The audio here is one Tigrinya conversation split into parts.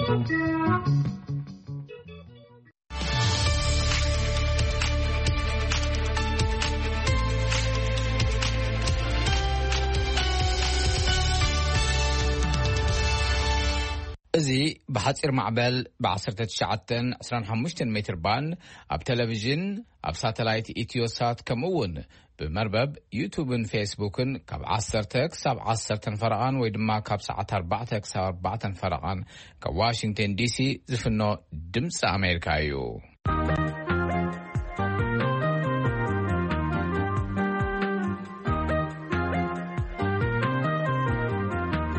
እዚ ብሓጺር ማዕበል ብ19 25 ሜትር ባንድ ኣብ ቴሌቪዥን፣ ኣብ ሳተላይት ኢትዮሳት፣ ከምኡ እውን ብመርበብ ዩቱብን ፌስቡክን ካብ 10 ክሳብ 10 ፈረቓን ወይ ድማ ካብ ሰዓት 4 ክሳብ 4 ፈረቓን ካብ ዋሽንግተን ዲሲ ዝፍኖ ድምፂ ኣሜሪካ እዩ።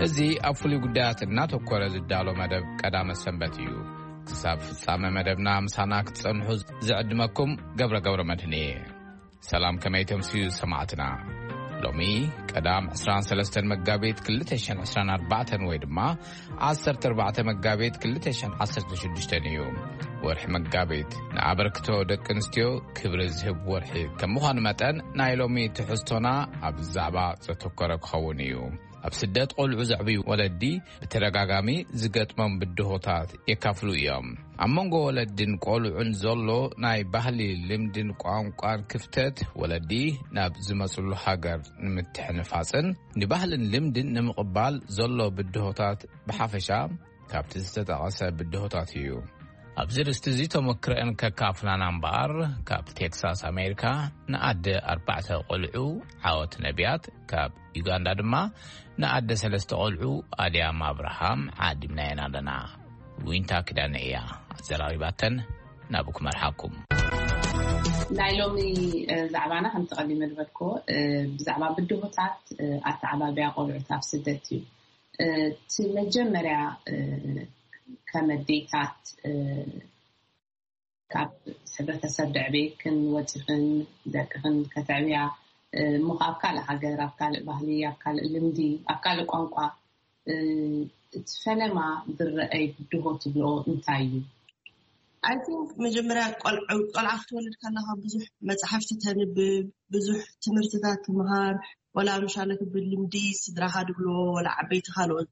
እዚ ኣብ ፍሉይ ጉዳያት እናተኮረ ዝዳሎ መደብ ቀዳመ ሰንበት እዩ። ክሳብ ፍጻመ መደብና ምሳና ክትጸንሑ ዝዕድመኩም ገብረ ገብረ መድህን እየ። ሰላም፣ ከመይ ተምስዩ ሰማዕትና? ሎሚ ቀዳም 23 መጋቢት 2024 ወይ ድማ 14 መጋቢት 2016 እዩ። ወርሒ መጋቢት ንኣበርክቶ ደቂ ኣንስትዮ ክብሪ ዝህብ ወርሒ ከም ምዃኑ መጠን፣ ናይ ሎሚ ትሕዝቶና ኣብ ዛዕባ ዘተኮረ ክኸውን እዩ። ኣብ ስደት ቆልዑ ዘዕብዩ ወለዲ ብተደጋጋሚ ዝገጥሞም ብድሆታት የካፍሉ እዮም። ኣብ መንጎ ወለድን ቆልዑን ዘሎ ናይ ባህሊ፣ ልምድን ቋንቋን ክፍተት፣ ወለዲ ናብ ዝመጽሉ ሃገር ንምትሕንፋጽን ንባህልን ልምድን ንምቕባል ዘሎ ብድሆታት ብሓፈሻ ካብቲ ዝተጠቐሰ ብድሆታት እዩ። ኣብዚ ርእስቲ እዚ ተመክረአን ከካፍላና እምበኣር፣ ካብ ቴክሳስ ኣሜሪካ ንኣደ ኣርባዕተ ቆልዑ ዓወት ነቢያት፣ ካብ ዩጋንዳ ድማ ንኣደ ሰለስተ ቆልዑ ኣድያም ኣብርሃም ዓዲምናየን ኣለና። ዊንታ ኪዳነ እያ ኣዘራሪባተን። ናብኡ ክመርሓኩም። ናይ ሎሚ፣ እ፣ ዛዕባና ከምቲ ቀዲመ ዝበልክዎ፣ እ፣ ብዛዕባ ብድሆታት፣ እ፣ ኣተዓባብያ ቆልዑት ኣብ ስደት እዩ። እ፣ እቲ መጀመርያ፣ እ፣ ከም ኣዴታት፣ እ፣ ካብ ሕብረተሰብ ደዕቤክን ወፂኽን ደቅኽን ከተዕብያ፣ እ፣ እሞ ኣብ ካልእ ሃገር፣ ኣብ ካልእ ባህሊ፣ ኣብ ካልእ ልምዲ፣ ኣብ ካልእ ቋንቋ፣ እ፣ እቲ ፈለማ ዝረኣይ ብድሆ ትብልኦ እንታይ እዩ? I think መጀመርያ ቆልዑ-፣ ቆልዓ ክትወልድ ከለኻ ብዙሕ መጽሓፍቲ ተንብብ፣ ብዙሕ ትምህርትታት ትምሃር፣ ወላ ምሻለ ክብል ልምዲ ስድራኻ ድብልዎ፣ ወላ ዓበይቲ ካልኦት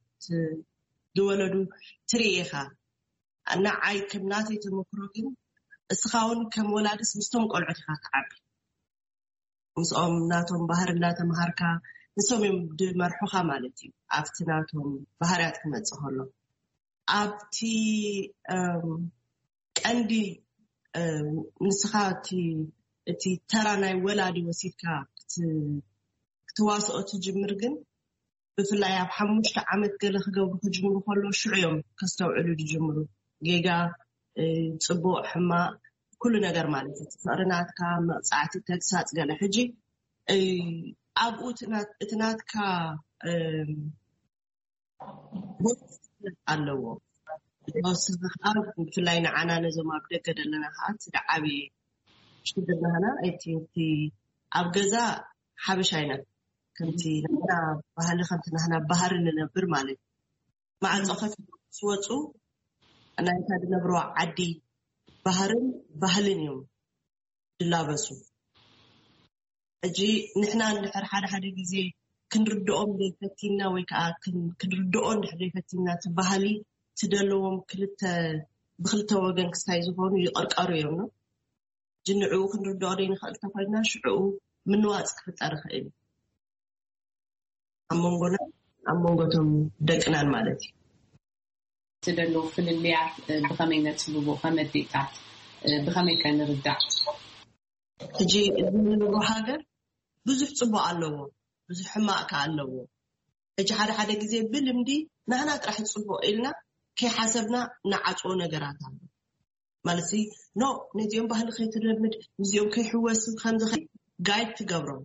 ዝወለዱ ትርኢ ኢኻ። ንዓይ ከም ናተይ ተመክሮ ግን፣ እስኻ እውን ከም ወላድስ ምስቶም ቆልዑት ኢኻ ትዓቢ። ምስኦም ናቶም ባህሪ እናተምሃርካ፣ ንሶም እዮም ድመርሑኻ ማለት እዩ። ኣብቲ ናቶም ባህርያት ክመጽእ ከሎ፣ ኣብቲ፣ እም፣ ቀንዲ፣ እም፣ ንስኻ እቲ፣ እቲ ተራ ናይ ወላዲ ወሲድካ ክት-፣ ክትዋስኦ ትጅምር ግን፣ ብፍላይ ኣብ ሓሙሽተ ዓመት ገለ ክገብሩ ክጅምሩ ከሎ፣ ሽዑ እዮም ከስተውዕሉ ዝጅምሩ። ጌጋ፣ እ፣ ጽቡቕ፣ ሕማቕ፣ ኩሉ ነገር ማለት እዩ። ፍቕሪ ናትካ፣ መቕጻዕቲ፣ ተግሳጽ፣ ገለ። ሕጂ፣ እ፣ ኣብኡ እቲ ናት-፣ እቲ ናትካ፣ እ፣ ቦታ ኣለዎ። ወስኻ ብፍላይ ንዓና ነዞም ኣብ ደገ ዘለና ከዓ እቲ ዓብዪ ሽግር ናህና እቲ፣ እቲ ኣብ ገዛ ሓበሻ ኢና። ከምቲ ናህና ባህሊ፣ ከምቲ ናህና ባህሪ ንነብር ማለት እዩ። ማዕጾ ከፊቶም ዝወጹ ናይታ ዝነብርዋ ዓዲ ባህርን ባህልን እዮም ዝላበሱ። ሕጂ ንሕና እንድሕር ሓደ ሓደ ግዜ ክንርድኦም ዘይፈቲና ወይ ከዓ ክን-፣ ክንርድኦ እንድሕር ዘይፈቲና እቲ ባህሊ እቲ ዘለዎም ክልተ፣ ብክልተ ወገን ክስታይ ዝኾኑ ይቐርቀሩ እዮም ነው። ሕጂ ንዕኡ ክንርድኦ ዘይንኽእል እንተኾይንና ሽዕኡ ምንዋጽ ክፍጠር ይኽእል እዩ። ኣብ መንጎና፣ ኣብ መንጎቶም ደቅናን ማለት እዩ። እቲ ዘሎ ፍልልያት፣ እ፣ ብኸመይ ነጽብቦ ከም ኣዴታት፣ እ፣ ብኸመይ ከ ንርዳእ? ሕጂ እዚ ንነብሮ ሃገር ብዙሕ ጽቡቕ ኣለዎ፣ ብዙሕ ሕማቕ ከኣ ኣለዎ። ሕጂ ሓደ ሓደ ግዜ ብልምዲ ናህና ጥራሕ ጽቡቕ ኢልና ከይሓሰብና ንዓጽዎ ነገራት ኣሎ። ማለት ሲ፣ ኖ፣ ነዚኦም ባህሊ ከይትለምድ፣ ምስዚኦም ከይሕወስ፣ ከምዚ ከ-፣ ጋይድ ትገብሮም።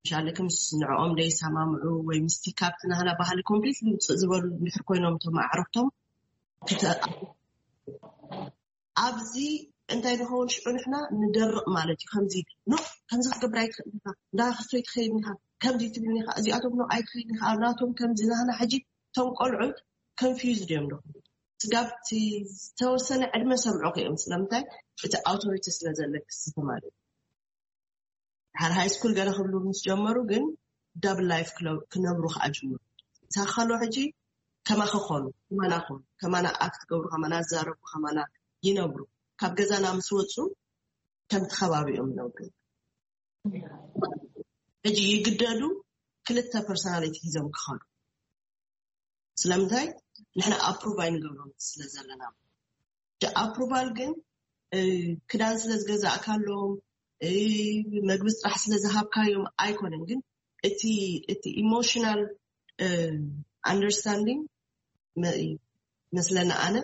ምሻለክ ምስ ንዕኦም ደይሰማምዑ ወይ ምስቲ ካብቲ ናህና ባህሊ ኮምፕሊትሊ ውፅእ ዝበሉ እንድሕር ኮይኖም እቶም ኣዕሩኽቶም ክተ-፣ ኣብዚ እንታይ ንኸውን ሽዑ ንሕና ንደርቕ ማለት እዩ። ከምዚ፣ ኖ፣ ከምዚ ክትገብር ኣይትኽእል ኢኻ፣ እንዳ ክስቶ ኣይትኸይድ ኢኻ፣ ከምዚ ትብል ኢኻ፣ እዚኣቶም ኖ ኣይትኸይድ ኢኻ፣ ናቶም ከምዚ ናህና ሕጂ እቶም ቆልዑት ኮንፊውዝድ እዮም ደኹም። ስጋብ እቲ ዝተወሰነ ዕድመ ሰምዑ እዮም። ስለምንታይ? እቲ ኣውቶሪቲ ስለ ዘለክ ስቲ ማለት እዩ። ድሓር ሃይ ስኩል ገለ ክብሉ ምስ ጀመሩ ግን ዳብል ላይፍ ክለ-፣ ክነብሩ ከዓ ጅምሩ። ሳኸሎ ሕጂ ከማኸ ኾኑ፣ ከማና ኾኑ፣ ከማና ኣክት ገብሩ፣ ከማና ዝዛረቡ፣ ከማና ይነብሩ። ካብ ገዛና ምስ ወፁ ከምቲ ከባቢኦም ይነብሩ። ሕጂ ይግደዱ ክልተ ፐርሶናሊቲ ሒዞም ክኸዱ። ስለምንታይ? ንሕና ኣፕሩቭ ኣይንገብሮም ስለ ዘለና። እቲ ኣፕሩቫል ግን ክዳን ስለ ዝገዛእካሎም፣ መግቢ ጥራሕ ስለ ዝሃብካዮም ኣይኮነን። ግን እቲ ኢሞሽናል ኣንደርስታንዲንግ መስለና ኣነ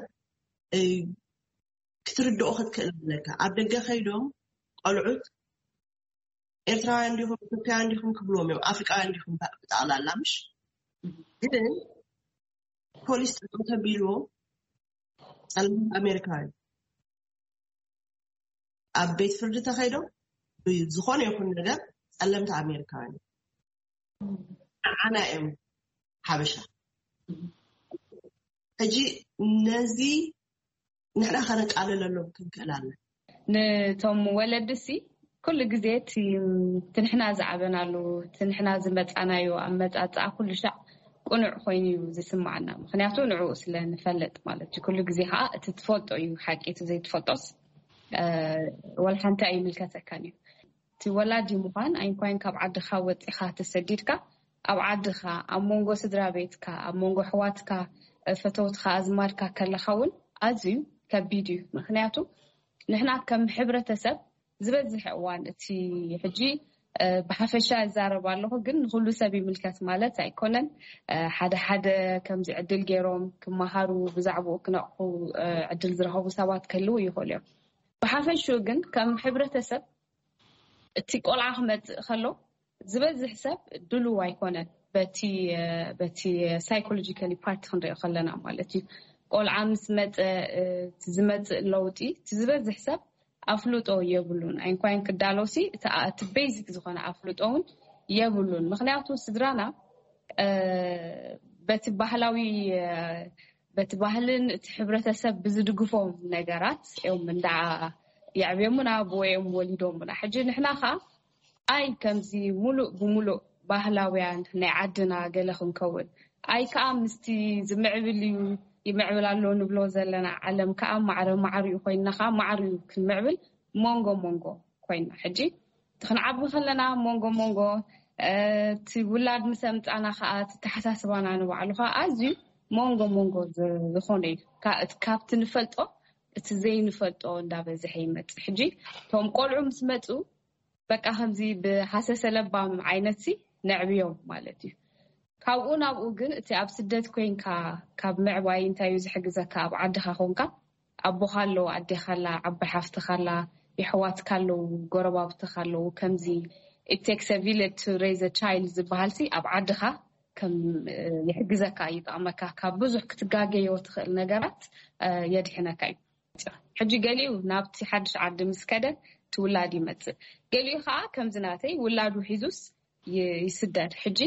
ክትርድኦ ክትክእል ኣለካ። ኣብ ደገ ከይዶም ቆልዑት ኤርትራውያን ዲኹም፣ ኢትዮጵያውያን ዲኹም ክብልዎም እዮም፣ ኣፍሪቃውያን ዲኹም ብጠቕላላ። ምሽ ግን ፖሊስ ጠጠው ተቢልዎም ጸለምቲ ኣሜሪካውያን ኣብ ቤት ፍርዲ ተኸይዶም ብዝኾነ ይኹን ነገር ጸለምቲ ኣሜሪካውያን ንዓና እዮም ሓበሻ። ሕጂ ነዚ ንሕና ከነቃልለሎም ክንክእል ኣለና። ንቶም ወለድሲ ኩሉ ግዜ እቲ ንሕና ዝዓበናሉ፣ እቲ ንሕና ዝመፃናዮ ኣመፃፅኣ ኩሉ ሻዕ ቅኑዕ ኮይኑ እዩ ዝስማዓና። ምክንያቱ ንዕኡ ስለ ንፈልጥ ማለት እዩ። ኩሉ ግዜ ከዓ እቲ ትፈልጦ እዩ ሓቂ፣ እቲ ዘይትፈልጦስ ወላ ሓንቲ ኣይምልከተካን እዩ። እቲ ወላዲ ምዃን ኣይንኳይን ካብ ዓድኻ ወፂኻ ተሰዲድካ ኣብ ዓድኻ ኣብ መንጎ ስድራ ቤትካ ኣብ መንጎ ኣሕዋትካ ፈተውትኻ ኣዝማድካ ከለኻ እውን ኣዝዩ ከቢድ እዩ። ምክንያቱ ንሕና ከም ሕብረተሰብ ዝበዝሕ እዋን እቲ ሕጂ ብሓፈሻ ይዛረብ ኣለኹ፣ ግን ንኩሉ ሰብ ይምልከት ማለት ኣይኮነን። ሓደ ሓደ ከምዚ ዕድል ገይሮም ክመሃሩ ብዛዕባኡ ክነቕሑ ዕድል ዝረኸቡ ሰባት ክህልው ይኽእሉ እዮም። ብሓፈሽኡ ግን ከም ሕብረተሰብ እቲ ቆልዓ ክመፅእ ከሎ ዝበዝሕ ሰብ ድሉው ኣይኮነን። በቲ በቲ ሳይኮሎጂካሊ ፓርቲ ክንሪኦ ከለና ማለት እዩ። ቆልዓ ምስ መፀ ዝመፅእ ለውጢ እቲ ዝበዝሕ ሰብ ኣፍልጦ የብሉን። ኣይንኳይን ክዳለውሲ እቲ ቤዚክ ዝኾነ ኣፍልጦ እውን የብሉን። ምክንያቱ ስድራና በቲ ባህላዊ በቲ ባህልን እቲ ሕብረተሰብ ብዝድግፎም ነገራት እዮም እንዳ የዕብዮምና ብወዮም ወሊዶምና። ሕጂ ንሕና ከዓ ኣይ ከምዚ ሙሉእ ብሙሉእ ባህላውያን ናይ ዓድና ገለ ክንከውን ኣይ ከዓ ምስቲ ዝምዕብል እዩ ይምዕብል ኣሎ ንብሎ ዘለና ዓለም ከዓ ማዕረ ማዕሪኡ ኮይንና ከዓ ማዕሪኡ ክንምዕብል መንጎ መንጎ ኮይንና ሕጂ እቲ ክንዓቢ ከለና መንጎ መንጎ እቲ ውላድ ምስ ኣምፃና ከዓ እቲ ተሓሳስባና ንባዕሉ ከዓ ኣዝዩ መንጎ መንጎ ዝኾነ እዩ። ካብቲ ንፈልጦ እቲ ዘይንፈልጦ እንዳበዝሐ ይመፅእ። ሕጂ እቶም ቆልዑ ምስ መፁ በቃ ከምዚ ብሃሰሰ ለባም ዓይነት ሲ ነዕብዮም ማለት እዩ። ካብኡ ናብኡ ግን እቲ ኣብ ስደት ኮይንካ ካብ ምዕባይ እንታይ እዩ ዝሕግዘካ? ኣብ ዓድኻ ኮንካ ኣቦኻ ኣሎ፣ ኣዴኻ ኣላ፣ ዓባይ ሓፍትኻ ኣላ፣ የሕዋትካ ኣለዉ፣ ጎረባብትኻ ኣለዉ። ከምዚ it takes a village to raise a child ዝበሃል ሲ ኣብ ዓድኻ ከም ይሕግዘካ ይጠቕመካ። ካብ ብዙሕ ክትጋገዮ ትኽእል ነገራት የድሕነካ እዩ። ሕጂ ገሊኡ ናብቲ ሓድሽ ዓዲ ምስ ከደ ትውላድ ይመፅእ። ገሊኡ ከዓ ከምዚ ናተይ ውላዱ ሒዙስ ይስደድ። ሕጂ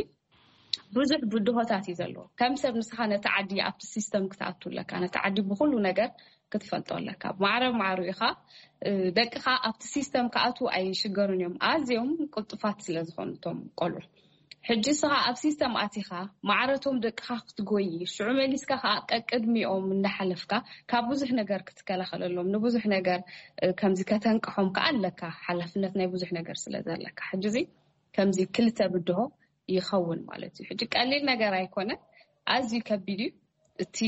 ብዙሕ ብድሆታት እዩ ዘለዎ። ከም ሰብ ንስኻ ነቲ ዓዲ ኣብቲ ሲስተም ክትኣቱ ኣለካ። ነቲ ዓዲ ብኩሉ ነገር ክትፈልጦ ኣለካ። ማዕረ ማዕሩ ኢኻ ደቅኻ ኣብቲ ሲስተም ክኣትዉ ኣይሽገሩን እዮም። ኣዝዮም ቅልጡፋት ስለ ዝኾኑ እቶም ቆልዑ። ሕጂ ንስኻ ኣብ ሲስተም ኣቲኻ ማዕረቶም ደቅኻ ክትጎይ ሽዑ መሊስካ ከዓ ቀቅድሚኦም እንዳሓለፍካ ካብ ብዙሕ ነገር ክትከላኸለሎም ንብዙሕ ነገር ከምዚ ከተንቅሖም ከዓ ኣለካ። ሓላፍነት ናይ ብዙሕ ነገር ስለ ዘለካ ሕጂ እዚ ከምዚ ክልተ ብድሆ ይኸውን ማለት እዩ። ሕጂ ቀሊል ነገር ኣይኮነ፣ ኣዝዩ ከቢድ እዩ። እቲ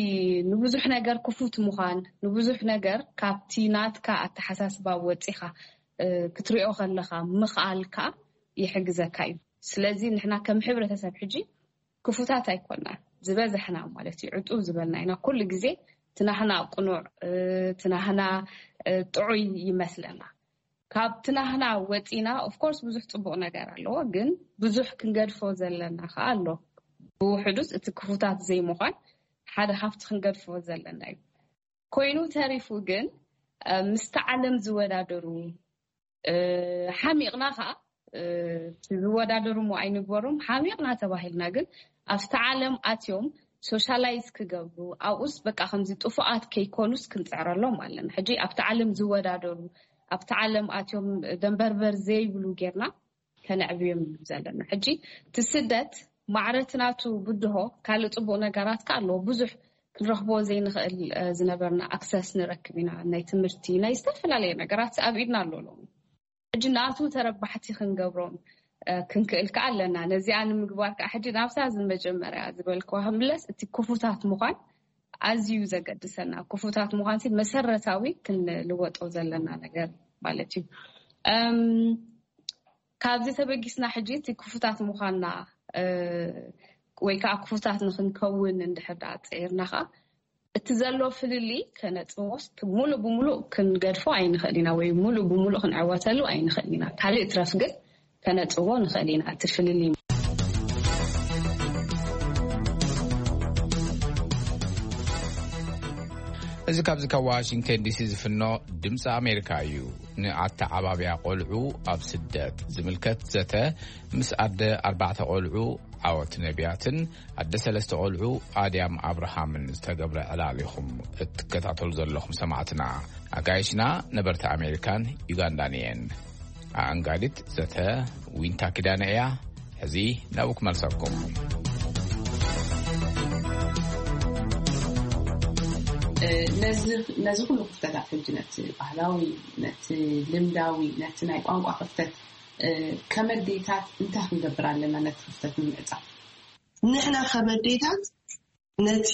ንብዙሕ ነገር ክፉት ምዃን ንብዙሕ ነገር ካብቲ ናትካ ኣተሓሳስባ ወፂኻ ክትሪኦ ከለኻ ምኽኣል ከዓ ይሕግዘካ እዩ። ስለዚ ንሕና ከም ሕብረተሰብ ሕጂ ክፉታት ኣይኮና ዝበዛሕና ማለት እዩ። ዕጡብ ዝበልና ኢና ኩሉ ግዜ ትናህና ቅኑዕ ትናህና ጥዑይ ይመስለና። ካብ ትናህና ወፂና ኦፍኮርስ ብዙሕ ፅቡቕ ነገር ኣለዎ፣ ግን ብዙሕ ክንገድፎ ዘለና ከዓ ኣሎ። ብውሕዱስ እቲ ክፉታት ዘይምዃን ሓደ ካብቲ ክንገድፎ ዘለና እዩ። ኮይኑ ተሪፉ ግን ምስቲ ዓለም ዝወዳደሩ ሓሚቕና ከዓ ዝወዳደሩ ሞ ኣይንግበሮም ሓሚቕና ተባሂልና ግን ኣብቲ ዓለም ኣትዮም ሶሻላይዝ ክገብሩ ኣብኡስ በቃ ከምዚ ጥፉኣት ከይኮኑስ ክንፅዕረሎም ኣለና። ሕጂ ኣብቲ ዓለም ዝወዳደሩ ኣብቲ ዓለም ኣትዮም ደንበርበር ዘይብሉ ጌርና ከነዕብዮም ዘለና። ሕጂ እቲ ስደት ማዕረቲ ናቱ ብድሆ ካልእ ጽቡቕ ነገራት ከ ኣለዎ። ብዙሕ ክንረኽቦ ዘይንኽእል ዝነበርና ኣክሰስ ንረክብ ኢና። ናይ ትምህርቲ፣ ናይ ዝተፈላለየ ነገራት ኣብ ኢድና ኣሎ ሎሚ። ሕጂ ናቱ ተረባሕቲ ክንገብሮም ክንክእል ከ ኣለና። ነዚኣ ንምግባር ከዓ ሕጂ ናብታ ዝመጀመርያ ዝበልክዋ ክንብለስ፣ እቲ ክፉታት ምዃን ኣዝዩ ዘገድሰና። ክፉታት ምዃን ሲ መሰረታዊ ክንልወጦ ዘለና ነገር ማለት እዩ። ካብዚ ተበጊስና ሕጂ እቲ ክፉታት ምዃንና ወይ ከዓ ክፉታት ንክንከውን እንድሕር ደኣ ፅዒርና ከዓ፣ እቲ ዘሎ ፍልልይ ከነፅቦስ ሙሉእ ብሙሉእ ክንገድፎ ኣይንኽእል ኢና ወይ ሙሉእ ብሙሉእ ክንዕወተሉ ኣይንኽእል ኢና። ካልእ ትረፍ ግን ከነፅቦ ንኽእል ኢና እቲ ፍልልይ። እዚ ካብዚ ካብ ዋሽንግተን ዲሲ ዝፍኖ ድምፂ ኣሜሪካ እዩ። ንኣተዓባብያ ቆልዑ ኣብ ስደት ዝምልከት ዘተ ምስ ኣደ ኣርባዕተ ቆልዑ ዓወት ነቢያትን ኣደ ሰለስተ ቆልዑ ኣድያም ኣብርሃምን ዝተገብረ ዕላል ኢኹም እትከታተሉ ዘለኹም ሰማዕትና። ኣጋይሽና ነበርቲ ኣሜሪካን ዩጋንዳን እየን። ኣኣንጋዲት ዘተ ዊንታ ኪዳነ እያ። ሕዚ ናብኡ ክመልሰኩም። ነዚ ኩሉ ክፍተታት ሕጂ ነቲ ባህላዊ፣ ነቲ ልምዳዊ፣ ነቲ ናይ ቋንቋ ክፍተት ከመዴታት እንታይ ክንገብር ኣለና ነቲ ክፍተት ንምዕፃፍ? ንሕና ከመዴታት ነቲ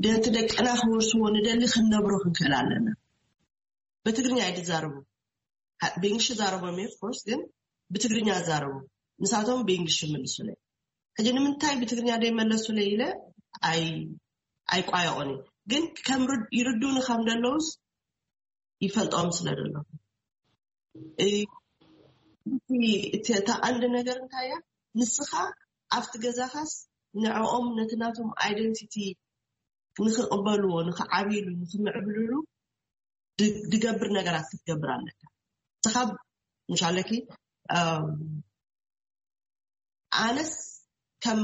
ነቲ ደቅና ክወርስዎ ንደሊ ክንነብሮ ክንክእል ኣለና። ብትግርኛ ኣይድዛረቡ፣ ብእንግሊሽ ዛረቦም እየ ኦፍኮርስ፣ ግን ብትግርኛ ዛረቡ። ንሳቶም ብእንግሊሽ ይምልሱለይ። ሕጂ ንምንታይ ብትግርኛ ደይመለሱለይ ኢለ ኣይ ኣይቋየቆን እየ። ግን ከም ይርዱኒ ከም ደለውስ ይፈልጦም ስለ ደለኹ። እቲ እታ ቀንዲ ነገር እንታይ እያ? ንስኻ ኣብቲ ገዛኻስ ንዕኦም ነቲ ናቶም ኣይደንቲቲ ንክቕበልዎ፣ ንክዓብይሉ፣ ንክምዕብልሉ ድገብር ነገራት ክትገብር ኣለካ። ንስኻ ምሻለኪ ኣነስ ከም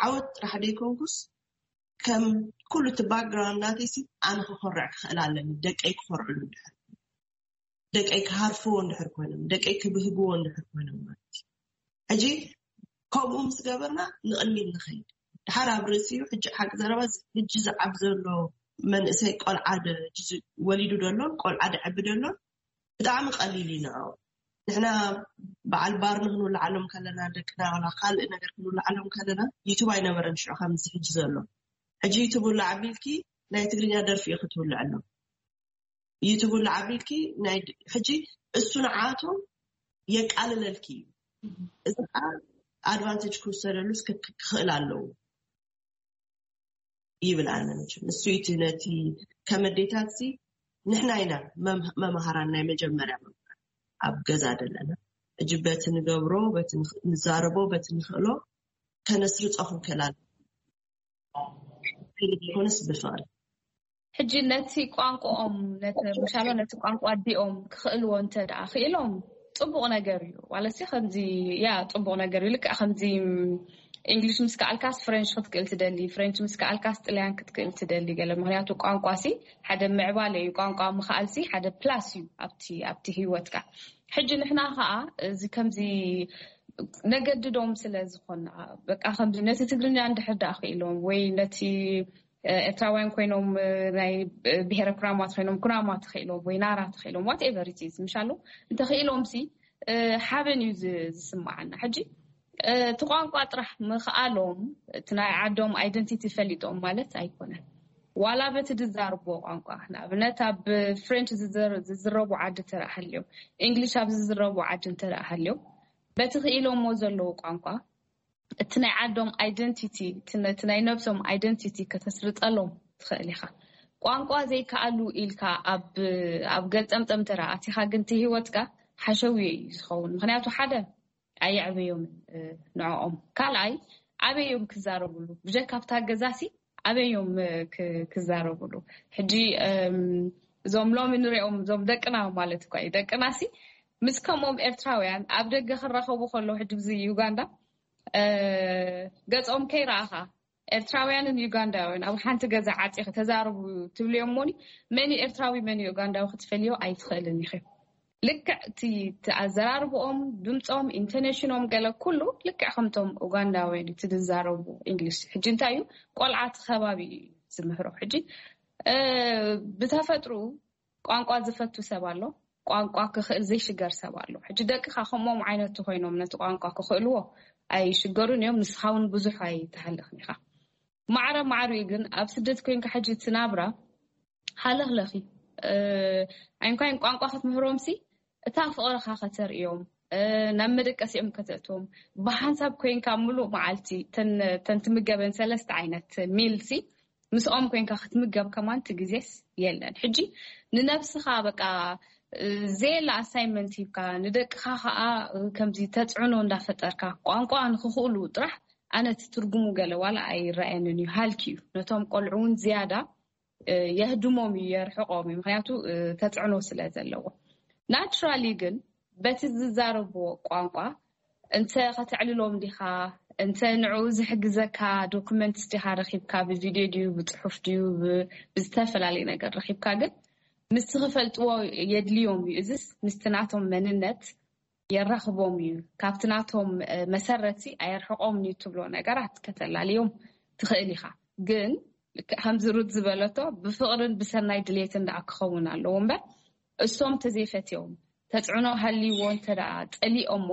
ዓወት ጥራሕ ደይኮንኩስ ከም ኩሉ እቲ ባክግራውንድ ናተይሲ ኣነ ክኮርዕ ክኽእል ኣለኒ። ደቀይ ክኮርዕሉ እንድሕር፣ ደቀይ ክሃርፍዎ እንድሕር ኮይኖም፣ ደቀይ ክብህግዎ እንድሕር ኮይኖም ማለት እዩ። ሕጂ ከምኡ ምስ ገበርና ንቕድሚት ንኸይድ። ድሓር ኣብ ርእሲኡ ሕጂ ሓቂ ዘረባ ሕጂ ዝዓብ ዘሎ መንእሰይ ቆልዓ ወሊዱ ደሎን ቆልዓ ደዕቢ ደሎን ብጣዕሚ ቀሊል እዩ ንዕኡ። ንሕና በዓል ባር ንክንውልዓሎም ከለና፣ ደቅና ዋላ ካልእ ነገር ክንውልዓሎም ከለና ዩቱብ ኣይነበረን ሽዑ ከምዚ ሕጂ ዘሎ። ሕጂ ዩቱብ ውላዕ ኣቢልኪ ናይ ትግርኛ ደርፊ እዩ ክትውልዕሎም። ዩቱብ ውላዕ ኣቢልኪ ናይ ሕጂ እሱ ንዓቶም የቃልለልኪ እዩ። እዚ ከዓ ኣድቫንቴጅ ክውሰደሉስ ክኽእል ኣለዎ ይብል ኣነ። መቸም እሱ እቲ ነቲ ከመዴታት ሲ ንሕና ኢና መምሃራን ናይ መጀመርያ መምሃር ኣብ ገዛ ዘለና። እጅ በቲ ንገብሮ፣ በቲ ንዛረቦ፣ በቲ ንኽእሎ ከነስርጾ ክንክእል ኣለና። ብፍቕሪ ዘይኮነስ ብፍቕሪ። ሕጂ ነቲ ቋንቋኦም ምሻሎ ነቲ ቋንቋ ኣዲኦም ክኽእልዎ እንተ ደኣ ክኢሎም ጽቡቕ ነገር እዩ። ዋለሲ ከምዚ ያ ጽቡቕ ነገር እዩ። ልክዕ ከምዚ እንግሊሽ ምስ ከኣልካስ ፍሬንች ክትክእል ትደሊ፣ ፍሬንች ምስ ከኣልካስ ጥልያን ክትክእል ትደሊ ገለ። ምክንያቱ ቋንቋ ሲ ሓደ ምዕባለ እዩ። ቋንቋ ምኽኣል ሲ ሓደ ፕላስ እዩ ኣብቲ ኣብቲ ህይወትካ። ሕጂ ንሕና ከኣ እዚ ከምዚ ነገድዶም ስለ ዝኾና በቃ ከምዚ ነቲ ትግርኛ እንድሕር ደኣ ክኢሎም ወይ ነቲ ኤርትራውያን ኮይኖም ናይ ብሄረ ኩናማ ተኸኢሎም ኩናማ ተኸኢሎም ወይ ናራ ተኸኢሎም whatever it is ምሻሉ እንተኽኢሎም ሲ ሓበን እዩ ዝስማዓና። ሕጂ እቲ ቋንቋ ጥራሕ ምኽኣሎም እቲ ናይ ዓዶም ኣይደንቲቲ ፈሊጦም ማለት ኣይኮነን። ዋላ በቲ ዝዛርቦ ቋንቋ ንኣብነት ኣብ ፍሬንች ዝዝረቡ ዓዲ እንተደኣ ሃልዮም፣ እንግሊሽ ኣብ ዝዝረቡ ዓዲ እንተደኣ ሃልዮም፣ በቲ ክኢሎሞ ዘለዉ ቋንቋ እቲ ናይ ዓዶም ኣይደንቲቲ እቲ ናይ ነብሶም ኣይደንቲቲ ከተስርጠሎም ትኽእል ኢኻ። ቋንቋ ዘይከኣሉ ኢልካ ኣብ ኣብ ገልጠምጠም ተራ ኣቲኻ ግን እቲ ህይወትካ ሓሸውየ እዩ ዝኸውን። ምክንያቱ ሓደ ኣየዕበዮምን ንዕኦም፣ ካልኣይ ኣበዮም ክዛረብሉ ብጀካ ኣብታ ገዛሲ ኣበዮም ክዛረብሉ። ሕጂ እዞም ሎሚ ንሪኦም እዞም ደቅና ማለት እኳ እዩ ደቅናሲ ምስ ከምኦም ኤርትራውያን ኣብ ደገ ክራኸቡ ከለዉ ሕጂ ብዚ ዩጋንዳ ገጾም ከይረኣኻ ኤርትራውያንን ዩጋንዳውያን ኣብ ሓንቲ ገዛ ዓፂኺ ተዛረቡ ትብልዮም እሞኒ መን እዩ ኤርትራዊ መን እዩ ዩጋንዳዊ ክትፈልዮ ኣይትኽእልን ኢኺ። ልክዕ እቲ ኣዘራርብኦም፣ ድምፆም፣ ኢንቶኔሽኖም፣ ገለ ኩሉ ልክዕ ከምቶም ኡጋንዳውያን እቲ ዝዛረቡ እንግሊሽ። ሕጂ እንታይ እዩ፣ ቆልዓ እቲ ከባቢ እዩ ዝምህሮ። ሕጂ ብተፈጥሩ ቋንቋ ዝፈቱ ሰብ ኣሎ፣ ቋንቋ ክኽእል ዘይሽገር ሰብ ኣሎ። ሕጂ ደቅኻ ከምኦም ዓይነት ኮይኖም ነቲ ቋንቋ ክኽእልዎ ኣይሽገሩን እዮም። ንስኻ እውን ብዙሕ ኣይትሃልኽን ኢኻ። ማዕረ ማዕሪኡ ግን ኣብ ስደት ኮይንካ ሕጂ እቲ ናብራ ሃለኽለኺ። ኣይንኳይን ቋንቋ ክትምህሮምሲ፣ እታ ፍቕርኻ ከተርእዮም፣ ናብ መደቀሲኦም ከተእትዎም፣ ብሓንሳብ ኮይንካ ምሉእ መዓልቲ ተን ትምገበን ሰለስተ ዓይነት ሚልሲ ምስኦም ኮይንካ ክትምገብ ከማን እቲ ግዜስ የለን። ሕጂ ንነብስኻ በቃ ዘየለ ኣሳይመንት ሂብካ፣ ንደቅኻ ከዓ ከምዚ ተፅዕኖ እንዳፈጠርካ ቋንቋ ንክኽእሉ ጥራሕ፣ ኣነ እቲ ትርጉሙ ገለ ዋላ ኣይረኣየንን እዩ፣ ሃልኪ እዩ። ነቶም ቆልዑ እውን ዝያዳ የህድሞም እዩ፣ የርሕቆም እዩ። ምክንያቱ ተፅዕኖ ስለ ዘለዎ። ናቹራሊ ግን በቲ ዝዛረብዎ ቋንቋ እንተ ከተዕልሎም ዲኻ፣ እንተ ንዕኡ ዝሕግዘካ ዶክመንትስ ዲኻ ረኺብካ፣ ብቪድዮ ድዩ፣ ብፅሑፍ ድዩ፣ ብዝተፈላለየ ነገር ረኺብካ፣ ግን ምስቲ ክፈልጥዎ የድልዮም እዩ። እዚስ ምስቲ ናቶም መንነት የራኽቦም እዩ። ካብቲ ናቶም መሰረትሲ ኣየርሕቆምን እዩ ትብሎ ነገራት ከተላልዮም ትኽእል ኢኻ። ግን ከምዚ ሩት ዝበለቶ ብፍቕርን ብሰናይ ድሌትን ደኣ ክኸውን ኣለዎ እምበር፣ እሶም ተዘይፈትዮም፣ ተፅዕኖ ሃልይዎ እንተ ደኣ ፀሊኦሞ፣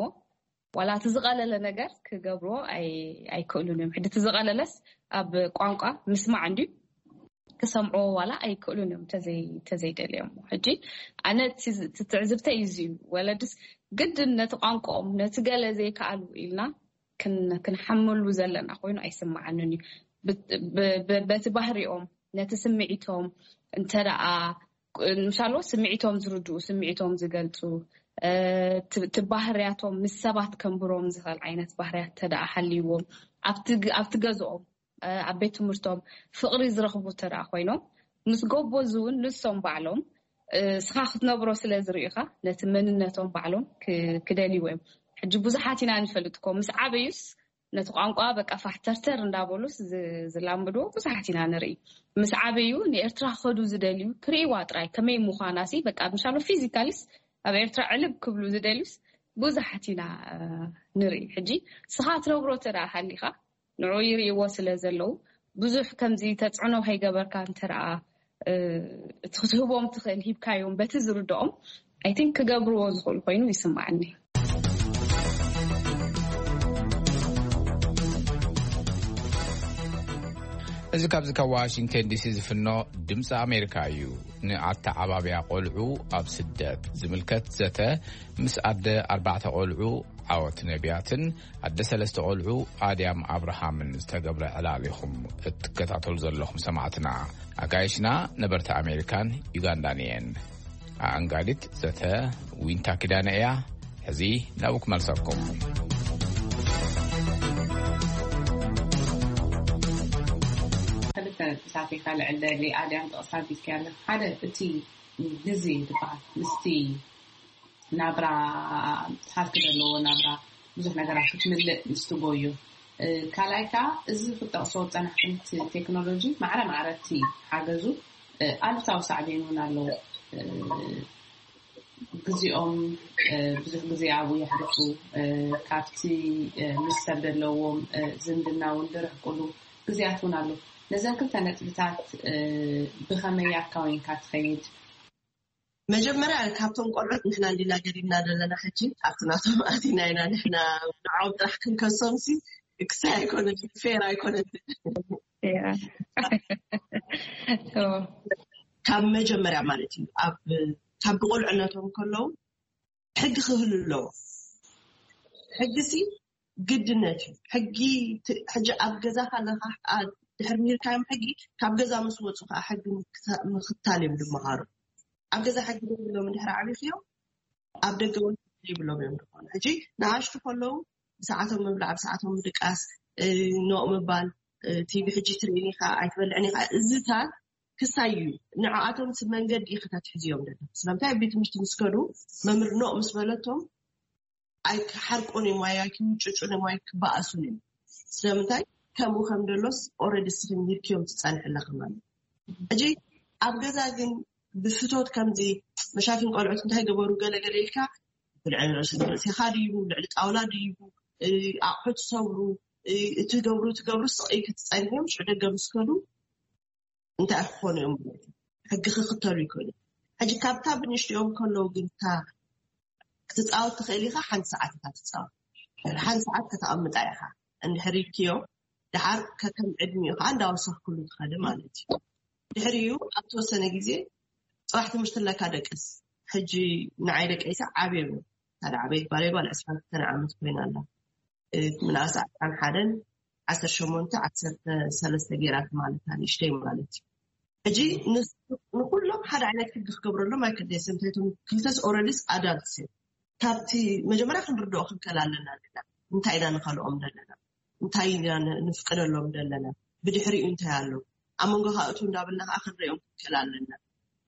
ዋላ እቲ ዝቐለለ ነገር ክገብርዎ ኣይክእሉን እዮም። ሕጂ እቲ ዝቐለለስ ኣብ ቋንቋ ምስማዕ እንድዩ፣ ክሰምዕዎ ዋላ ኣይክእሉን እዮም ተዘይደልዮሞ። ሕጂ ኣነ ትዕዝብተይ እዚ እዩ። ወለድስ ግድን ነቲ ቋንቋኦም ነቲ ገለ ዘይከኣሉ ኢልና ክንሓመሉ ዘለና ኮይኑ ኣይስምዓንን እዩ። በቲ ባህሪኦም ነቲ ስምዒቶም እንተ ደኣ ምሻሎ ስምዒቶም ዝርድኡ፣ ስምዒቶም ዝገልፁ፣ እቲ ባህርያቶም ምስ ሰባት ከንብሮም ዝኽእል ዓይነት ባህርያት ተደኣ ሃልይዎም፣ ኣብቲ ገዝኦም፣ ኣብ ቤት ትምህርቶም ፍቕሪ ዝረኽቡ ተደኣ ኮይኖም፣ ምስ ጎቦ እዚ እውን ንሶም ባዕሎም ስኻ ክትነብሮ ስለ ዝርእዩኻ፣ ነቲ መንነቶም ባዕሎም ክደልይዎ እዮም። ሕጂ ብዙሓት ኢና ንፈልጥ እኮ፣ ምስ ዓበዩስ ነቲ ቋንቋ በቃ ፋሕተርተር እንዳበሉስ ዝላምድዎ ብዙሓት ኢና ንርኢ። ምስ ዓበዩ ንኤርትራ ክኸዱ ዝደልዩ ክርእይዋ ጥራይ ከመይ ምዃናሲ በቃ ምሻሎ ፊዚካሊስ ኣብ ኤርትራ ዕልብ ክብሉ ዝደልዩስ ብዙሓት ኢና ንርኢ። ሕጂ ስኻ ትነብሮ ተደኣ ሃሊኻ ንዑ ይርእይዎ ስለ ዘለዉ ብዙሕ ከምዚ ተፅዕኖ ከይገበርካ እንተደኣ እቲ ክትህቦም ትኽእል ሂብካዮም በቲ ዝርድኦም ኣይ ቲንክ ክገብርዎ ዝኽእሉ ኮይኑ ይስምዓኒ። እዚ ካብዚ ካብ ዋሽንግተን ዲሲ ዝፍኖ ድምፂ ኣሜሪካ እዩ። ንኣተዓባብያ ቆልዑ ኣብ ስደት ዝምልከት ዘተ ምስ ኣደ ኣርባዕተ ቆልዑ ዓወት ነቢያትን ኣደ ሰለስተ ቆልዑ ኣድያም ኣብርሃምን ዝተገብረ ዕላል ኢኹም እትከታተሉ ዘለኹም ሰማዕትና። ኣጋይሽና ነበርቲ ኣሜሪካን ዩጋንዳን እየን። ኣኣንጋዲት ዘተ ዊንታ ኪዳነ እያ። ሕዚ ናብኡ ክመልሰኩም። ክልተ ነጥብታት ኢኻ ልዕል ደሊ ኣድያም ጥቕሳ ቢልኪ ኣለኺ። ሓደ እቲ ግዜ ዝበሃል ምስቲ ናብራ ሃልኪ ዘለዎ ናብራ ብዙሕ ነገራት ክትምልእ ምስ ትጎዩ። ካልኣይ ከዓ እዚ ክጠቕሶ ዝፀናሕኩም እቲ ቴክኖሎጂ ማዕረ ማዕረ እቲ ሓገዙ ኣሉታዊ ሳዕቤን እውን ኣለዎ። ግዜኦም ብዙሕ ግዜ ኣብኡ የሕልፉ። ካብቲ ምስ ሰብ ዘለዎም ዝምድና እውን ዝርሕቁሉ ግዜያት እውን ኣሎ። ነዘን ክልተ ነጥብታት ብኸመይ ኣካዊንካ ትኸይድ? መጀመርያ ካብቶም ቆልዑት ንሕና እንዲና ገዲድና ዘለና ሕጂ ኣብቲ ናቶም ኣቲና ኢና ንሕና ንዖም ጥራሕ ክንከሶም ሲ ክሳይ ኣይኮነትን ፌር ኣይኮነትን ካብ መጀመርያ ማለት እዩ ካብ ብቆልዕነቶም ከለዉ ሕጊ ክህሉ ኣለዎ ሕጊ ሲ ግድነት እዩ ሕጊ ሕጂ ኣብ ገዛ ካለካ ድሕር ሚርካዮም ሕጊ ካብ ገዛ ምስ ወፁ ከዓ ሕጊ ምክታል እዮም ዝመሃሩ ኣብ ገዛ ሕጊ ደብሎም እንድሕር ዓብይክዮም ኣብ ደገ እውን ይብሎም እዮም ዝኾኑ ሕጂ ንኣሽቱ ከለዉ ብሰዓቶም ምብላዕ ብሰዓቶም ምድቃስ ኖቕ ምባል ቲቪ ሕጂ ትርእኒ ከዓ ኣይትበልዕኒ ከዓ እዚታት ክሳይ እዩ ንዕኣቶም ሲ መንገዲ ከተትሕዝዮም ደሎ ስለምንታይ ኣብ ቤት ትምህርቲ ምስ ከዱ መምህር ኖቕ ምስ በለቶም ኣይክሓርቁን እዮም ወይ ኣይክምጭጩን እዮም ወይ ክበኣሱን እዮም ስለምንታይ ከምኡ ከም ደሎስ ኦረዲ ስኺ ሚርክዮም ትፀንሕ ኣለኺ ማለት ሕጂ ኣብ ገዛ ግን ብፍቶት ከምዚ መሻፍን ቆልዑት እንታይ ገበሩ ገለገለ ኢልካ፣ ልዕሊ ርእሲ ርእሲኻ ድዩ፣ ልዕሊ ጣውላ ድዩ፣ ኣቑሑ ትሰብሩ፣ እቲ ገብሩ ትገብሩ ስቕ ክትፀንዮም ሽዑ ደገ ምስ ከዱ እንታይ ክኾኑ እዮም ማለት እዩ። ሕጊ ክክተሉ ይክእሉ። ሕጂ ካብታ ብንእሽትኦም ከለዉ ግን እታ ክትፃወት ትኽእል ኢኻ። ሓንቲ ሰዓት እታ ትፃወት፣ ሓንቲ ሰዓት ከተቐምጣ ኢኻ። እንድሕር ኢልክዮ ደሓር ከከም ዕድሚኡ ከዓ እንዳወሰኽክሉ ትኸዲ ማለት እዩ። ድሕሪኡ ኣብ ተወሰነ ግዜ ፅባሕ ትምህርቲ ኣለካ ደቅስ። ሕጂ ንዓይ ደቀይሳ ዓብዮም እዮም። ሓደ ዓበይት ጓለይ ጓል ዕስራን ክልተን ዓመት ኮይና ኣላ። ምንኣስ ዓሰርተ ሓደን ዓሰርተ ሸሞንተ ዓሰርተ ሰለስተ ገይራት ማለት ንእሽተይ ማለት እዩ። ሕጂ ንኩሎም ሓደ ዓይነት ሕጊ ክገብረሎም ኣይክደስም። እንታይቶም ክልተስ ኦረዲስ ኣዳልትስ እዮም። ካብቲ መጀመርያ ክንርድኦ ክንከል ኣለና ንና እንታይ ኢና ንኸልኦም ዘለና፣ እንታይ ኢና ንፍቅደሎም ዘለና፣ ብድሕሪኡ እንታይ ኣሎ ኣብ መንጎ ካእቱ እንዳብልና ከዓ ክንሪኦም ክንከል ኣለና።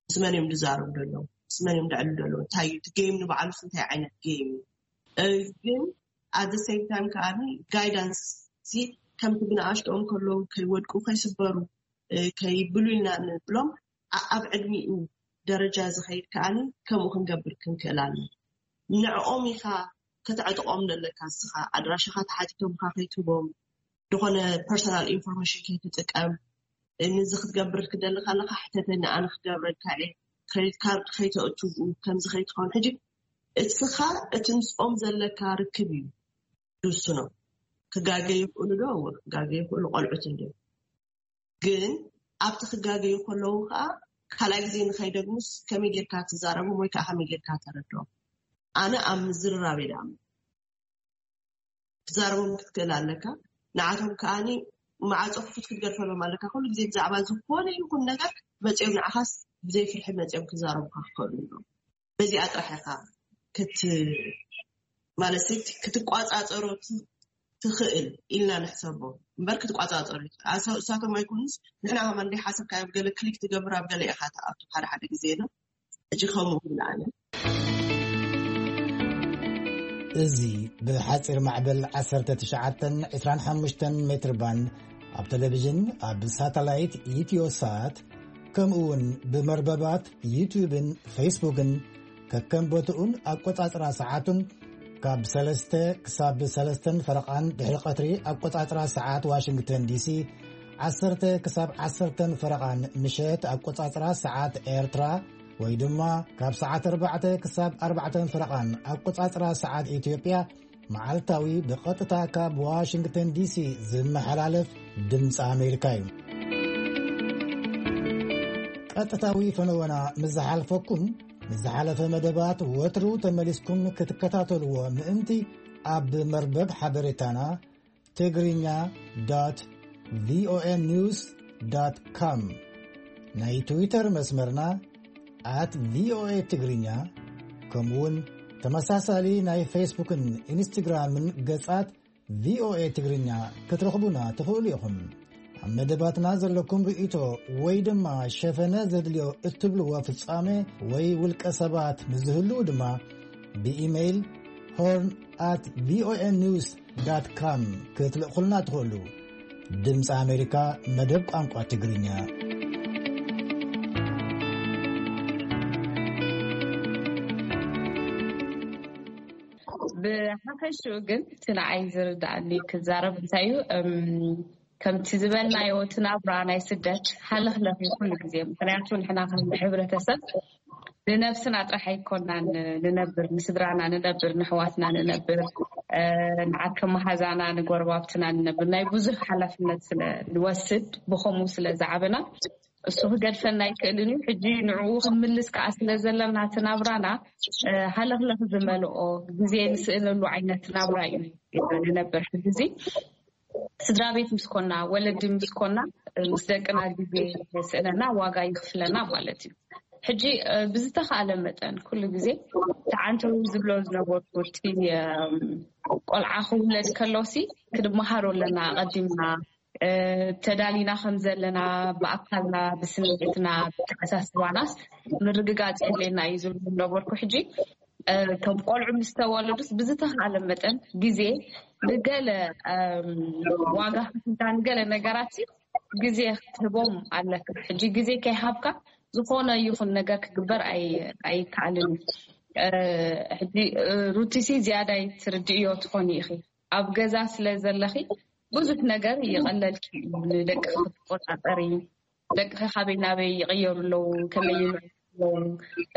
ምስ መን እዮም ዝዛረቡ ዘለዉ፣ ምስ መን እዮም ዝዕሉ ዘለዉ፣ እንታይ እዩ እቲ ጌም ንባዕሉስ እንታይ ዓይነት ጌም እዩ። ግን ኣት ሴም ታይም ከዓ ጋይዳንስ ከምቲ ብንኣሽትኦም ከለዉ ከይወድቁ ከይስበሩ ከይብሉ ኢልና ንብሎም። ኣብ ዕድሚኡ ደረጃ ዝኸይድ ከዓኒ ከምኡ ክንገብር ክንክእል ኣለ። ንዕኦም ኢኻ ከተዕጥቆም ዘለካ። እስኻ ኣድራሻኻ ተሓቲቶምካ ከይትቦም፣ ዝኾነ ፐርሰናል ኢንፎርሜሽን ከይትጥቀም። ንዚ ክትገብር ክደሊ ከለካ ሕተተኒ፣ ኣነ ክገብረልካ እየ። ክሬዲት ካርድ ከይተእትቡ፣ ከምዚ ከይትኸውን። ሕጂ እስኻ እቲ ምስኦም ዘለካ ርክብ እዩ ዝውስኖ። ክጋገ ይኽእሉ ዶ? እወ፣ ክጋገ ይኽእሉ፣ ቆልዑት እንዲ። ግን ኣብቲ ክጋገዩ ከለዉ ከዓ ካልኣይ ግዜ ንኸይደግሙስ ከመይ ጌርካ ትዛረቦም ወይ ከዓ ከመይ ጌርካ ተረድኦም? ኣነ ኣብ ምዝርራብ እየ ደኣምን። ክዛረቦም ክትክእል ኣለካ። ንዓቶም ከዓኒ መዓፆ ክፉት ክትገድፈሎም ኣለካ። ኩሉ ግዜ ብዛዕባ ዝኾነ ይኹን ነገር መፂኦም ንዓኻስ ብዘይ ፍርሒ መፂኦም ክዛረቡካ ክኽእሉ እዮም። በዚኣ ጥራሕ ኢኻ ክት ማለት ክትቋፃፀሮ ትኽእል ኢልና ንሕሰቦ እምበር ክትቋፃፀሩ እሳቶም ኣይኮኑስ ንሕና ከማን ደይ ሓሰብካ ኣብ ገለ ክሊክ ትገብር ኣብ ገለ ኢኻ ትኣቱ ሓደ ሓደ ግዜ ነው። እጂ ከምኡ ብለኣነ እዚ ብሓፂር ማዕበል ዓሰርተ ትሽዓተን ዕስራን ሓሙሽተን ሜትር ባንድ ኣብ ቴሌቪዥን ኣብ ሳተላይት ኢትዮ ሳት ከምኡ እውን ብመርበባት ዩቱብን ፌስቡክን ከከም ቦትኡን ኣቆጻጽራ ሰዓቱን ካብ ሰለስተ ክሳብ ሰለስተን ፈረቓን ድሕሪ ቀትሪ ኣቆጻጽራ ሰዓት ዋሽንግተን ዲሲ፣ ዓሰርተ ክሳብ ዓሰርተን ፈረቓን ምሸት ኣቆጻጽራ ሰዓት ኤርትራ ወይ ድማ ካብ ሰዓት ኣርባዕተ ክሳብ ኣርባዕተን ፈረቓን ኣቆጻጽራ ሰዓት ኢትዮጵያ መዓልታዊ ብቐጥታ ካብ ዋሽንግተን ዲሲ ዝመሓላለፍ ድምፂ ኣሜሪካ እዩ። ቀጥታዊ ፈነወና ምስ ዝሓልፈኩም ንዝሓለፈ መደባት ወትሩ ተመሊስኩም ክትከታተልዎ ምእንቲ ኣብ መርበብ ሓበሬታና ትግርኛ ዶት ቪኦኤ ኒውስ ዶት ኮም ናይ ትዊተር መስመርና ኣት ቪኦኤ ትግርኛ ከምኡውን ተመሳሳሊ ናይ ፌስቡክን ኢንስትግራምን ገጻት ቪኦኤ ትግርኛ ክትረኽቡና ትኽእሉ ኢኹም። ኣብ መደባትና ዘለኩም ርእይቶ ወይ ድማ ሸፈነ ዘድልዮ እትብልዎ ፍጻሜ ወይ ውልቀ ሰባት ምስ ዝህልዉ ድማ ብኢሜይል ሆርን ኣት ቪኦኤ ኒውስ ዳት ካም ክትልእኹልና ትኽእሉ። ድምፂ ኣሜሪካ መደብ ቋንቋ ትግርኛ። ብሓፈሽኡ ግን እቲ ንዓይ ዝርዳእኒ ክዛረብ እንታይ እዩ፣ ከምቲ ዝበልናዮ እቲ ናብራ ናይ ስደት ሃለኽለኽ እዩ ኩሉ ግዜ። ምክንያቱ ንሕና ከም ሕብረተሰብ ንነብስና ጥራሕ ኣይኮናን ንነብር፣ ንስድራና ንነብር፣ ንሕዋትና ንነብር፣ ንዓርከ መሃዛና ንጎረባብትና ንነብር ናይ ብዙሕ ሓላፍነት ስለ ንወስድ ብኸምኡ ስለ ዝዓበና እሱ ክገድፈና ኣይክእልን እዩ። ሕጂ ንዕኡ ክንምልስ ከዓ ስለ ዘለና እቲ ናብራና ሃለኽለኽ ዝመልኦ ግዜ ንስእነሉ ዓይነት ናብራ እዩ ንነብር። ሕዚ ስድራ ቤት ምስ ኮና፣ ወለዲ ምስ ኮና፣ ምስ ደቅና ግዜ ስእነና ዋጋ ይኽፍለና ማለት እዩ። ሕጂ ብዝተኻእለ መጠን ኩሉ ግዜ ተዓንተው ዝብሎ ዝነበርኩ እቲ ቆልዓ ክውለድ ከሎሲ ክንመሃሮ ኣለና። ኣቐዲምና ተዳሊና ከም ዘለና ብኣካልና ብስምዒትና ብተሓሳስባናስ ምርግጋፅ የድልየና እዩ ዝብሉ ነበርኩ። ሕጂ ከም ቆልዑ ምስ ተወለዱስ ብዝተኻለ መጠን ግዜ ንገለ ዋጋ ክፍልታ ንገለ ነገራት ግዜ ክትህቦም ኣለካ። ሕጂ ግዜ ከይሃብካ ዝኾነ ይኹን ነገር ክግበር ኣይከኣልን እዩ። ሕጂ ሩቲሲ ዝያዳይ ትርድእዮ ትኾኒ ኢኺ። ኣብ ገዛ ስለ ዘለኺ ብዙሕ ነገር ይቐለልኪ እዩ። ንደቂ ክትቆፃፀሪ፣ ደቂ ካበይ ናበይ ይቕየሩ ኣለዉ፣ ከመይ ይምዕዱ ኣለዉ፣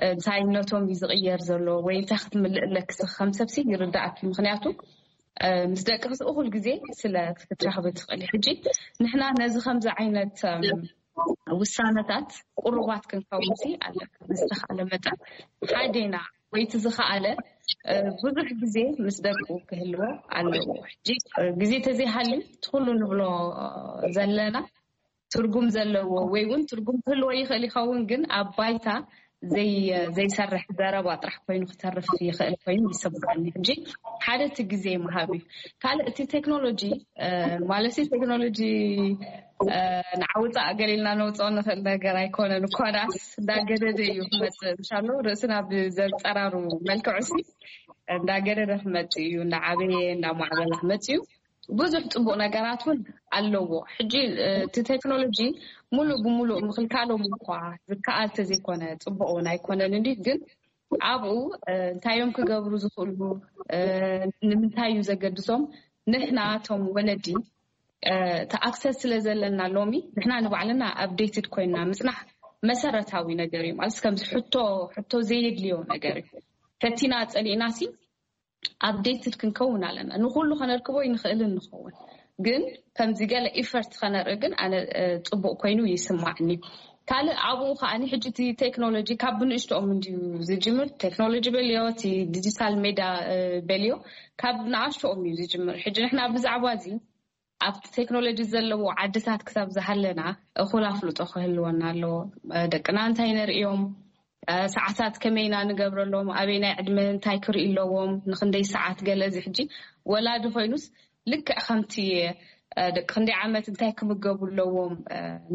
እንታይነቶም እዩ ዝቕየር ዘሎ ወይ እንታይ ክትምልእ ኣለኪ፣ ንስኺ ከም ሰብሲ ይርዳእኪ። ምክንያቱ ምስ ደቂ እኹል ግዜ ስለ ክትረኽቢ ትኽእሊ። ሕጂ ንሕና ነዚ ከምዚ ዓይነት ውሳነታት ቅሩባት ክንከውንሲ ኣለና። ዝተኻለ መጠን ሓዴና ወይ እቲ ዝኸኣለ ብዙሕ ግዜ ምስ ደቁ ክህልዎ ኣለዎ። ሕጂ ግዜ ተዘይሃልዩ ትኩሉ ንብሎ ዘለና ትርጉም ዘለዎ ወይ እውን ትርጉም ክህልዎ ይኽእል ይኸውን፣ ግን ኣብ ባይታ ዘይሰርሕ ዘረባ ጥራሕ ኮይኑ ክተርፍ ይኽእል ኮይኑ ይስምዓኒ። ሕጂ ሓደ እቲ ግዜ ምሃብ እዩ። ካልእ እቲ ቴክኖሎጂ ማለት ቴክኖሎጂ ንዓውፃእ ገሊልና ነውፅኦ ንኽእል ነገር ኣይኮነን። እኳ ዳስ እንዳገደደ እዩ ክመፅእ፣ ምሻሎ ርእስና ብዘንፀራሩ መልክዑ ሲ እንዳገደደ ክመፅእ እዩ፣ እንዳዓበየ እንዳማዕበለ ክመፅእ እዩ። ብዙሕ ፅቡቅ ነገራት እውን ኣለዎ። ሕጂ እቲ ቴክኖሎጂ ሙሉእ ብሙሉእ ምክልካሎም እኳ ዝከኣል ተዘይኮነ ፅቡቅ እውን ኣይኮነን። እንዲ ግን ኣብኡ እንታይ እዮም ክገብሩ ዝኽእሉ፣ ንምንታይ እዩ ዘገድሶም? ንሕና እቶም ወለዲ እቲ ኣክሰስ ስለ ዘለና ሎሚ ንሕና ንባዕልና ኣፕዴትድ ኮይና ምፅናሕ መሰረታዊ ነገር እዩ። ማለት ከምዚ ሕቶ ሕቶ ዘየድልዮ ነገር እዩ። ፈቲና ፀሊእና ሲ ኣፕዴትድ ክንከውን ኣለና። ንኩሉ ከነርክቦ ይንኽእልን ንኸውን፣ ግን ከምዚ ገለ ኢፈርት ከነርኢ ግን ኣነ ፅቡቅ ኮይኑ ይስማዕኒ። ካልእ ኣብኡ ከዓኒ ሕጂ እቲ ቴክኖሎጂ ካብ ብንእሽቶኦም እንድዩ ዝጅምር። ቴክኖሎጂ በልዮ፣ እቲ ዲጂታል ሜዳ በልዮ ካብ ንኣሽቶኦም እዩ ዝጅምር። ሕጂ ንሕና ብዛዕባ እዚ ኣብቲ ቴክኖሎጂ ዘለዎ ዓድታት ክሳብ ዝሃለና እኹል ኣፍልጦ ክህልወና ኣለዎ። ደቅና እንታይ ነርእዮም፣ ሰዓታት ከመይና ንገብረሎም፣ ኣበይናይ ዕድመ እንታይ ክርኢ ኣለዎም፣ ንክንደይ ሰዓት ገለ። እዚ ሕጂ ወላዲ ኮይኑስ ልክዕ ከምቲ ደቂ ክንደይ ዓመት እንታይ ክምገቡ ኣለዎም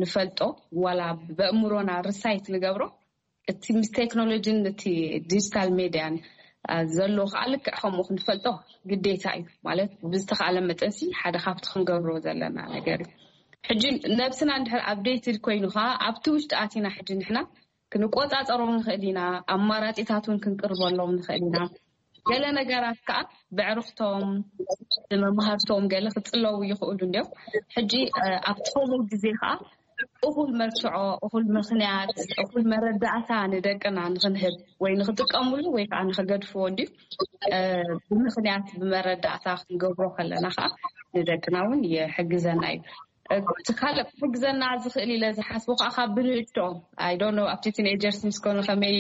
ንፈልጦ፣ ዋላ በእምሮና ርሳይት ንገብሮ፣ እቲ ምስ ቴክኖሎጂን እቲ ዲጂታል ሜድያን ዘሎ ከዓ ልክዕ ከምኡ ክንፈልጦ ግዴታ እዩ። ማለት ብዝተኻለ መጠንሲ ሓደ ካብቲ ክንገብሮ ዘለና ነገር እዩ። ሕጂ ነብስና እንድሕር ኣፕዴትድ ኮይኑ ከዓ ኣብቲ ውሽጢ ኣቲና ሕጂ ንሕና ክንቆፃፀሮም ንኽእል ኢና። ኣማራፂታት እውን ክንቅርበሎም ንኽእል ኢና። ገለ ነገራት ከዓ ብዕርክቶም ብመምሃርቶም ገለ ክፅለዉ ይኽእሉ እንዲዮም። ሕጂ ኣብቲ ከምኡ ግዜ ከዓ እኹል መርትዖ፣ እኹል ምኽንያት፣ እኹል መረዳእታ ንደቅና ንክንህብ ወይ ንክጥቀምሉ ወይ ከዓ ንክገድፍዎ እንዲዩ ብምኽንያት ብመረዳእታ ክንገብሮ ከለና ከዓ ንደቅና እውን ይሕግዘና እዩ። እቲ ካልእ ክሕግዘና ዝኽእል ኢለ ዝሓስቦ ከዓ ካብ ብንእሽቶኦም ኣይዶኖ ኣብቲ ቲኔጀርስ ምስ ኮኑ ከመይ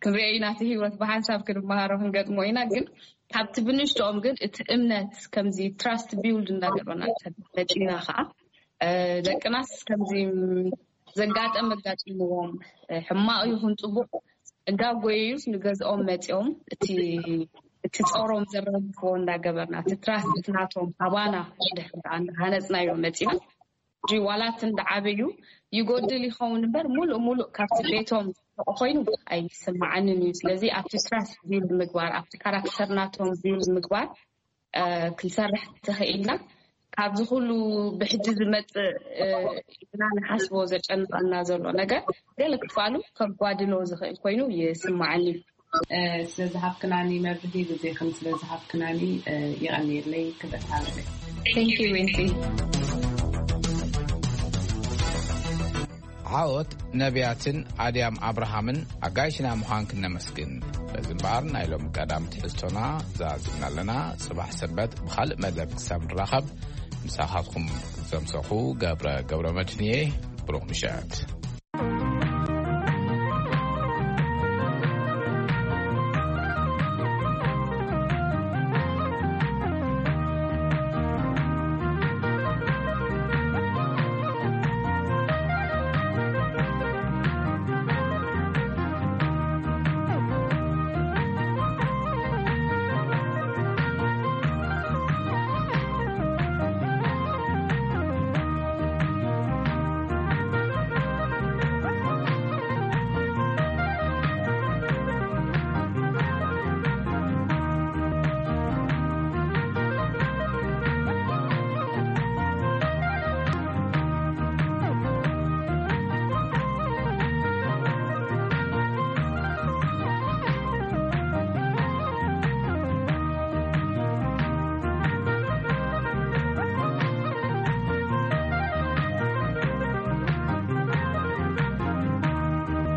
ክንሪኦ ኢና፣ እቲ ህይወት ብሓንሳብ ክንመሃሮ ክንገጥሞ ኢና። ግን ካብቲ ብንእሽቶኦም ግን እቲ እምነት ከምዚ ትራስት ቢውልድ እንዳገበና መፂና ከዓ ደቅናስ ከምዚ ዘጋጠም ኣጋጢምዎም ሕማቕ ይኹን ፅቡቕ እንዳጎየዩስ ንገዝኦም መፂኦም እቲ ጾሮም ዘራግፍዎ እንዳገበርና እቲ ትራስት ናቶም ኣባና ድሕር እንዳሃነፅናዮ መፂና። ሕጂ ዋላ እቲ እንዳዓበዩ ይጎድል ይኸውን እምበር ሙሉእ ሙሉእ ካብቲ ቤቶም ኮይኑ ኣይስማዓንን እዩ። ስለዚ ኣብቲ ትራስት ቢልድ ምግባር ኣብቲ ካራክተር ናቶም ቢልድ ምግባር ክንሰርሕ ተኽኢልና ካብዚ ኩሉ ብሕጂ ዝመፅእ ኢልና ንሓስቦ ዘጨንቐና ዘሎ ነገር ገለ ክፋሉ ከጓድሎ ዝኽእል ኮይኑ ይስማዓኒ። ስለዝሃብክናኒ መብርሂ ግዜኽን ስለዝሃብክናኒ የቐንየለይ ክብረት ሃለለይ። Thank you Wincy። ዓወት ነቢያትን ኣድያም ኣብርሃምን ኣጋይሽና ምዃን ክነመስግን። በዚ እምበኣር ናይ ሎም ቀዳም ትሕዝቶና ዛዝምና ኣለና። ጽባሕ ሰንበት ብኻልእ መደብ ክሳብ ንራኸብ ምሳኻትኩም ዘምሰኹ ገብረ ገብረ መድህንየ። ብሩኽ ምሸት።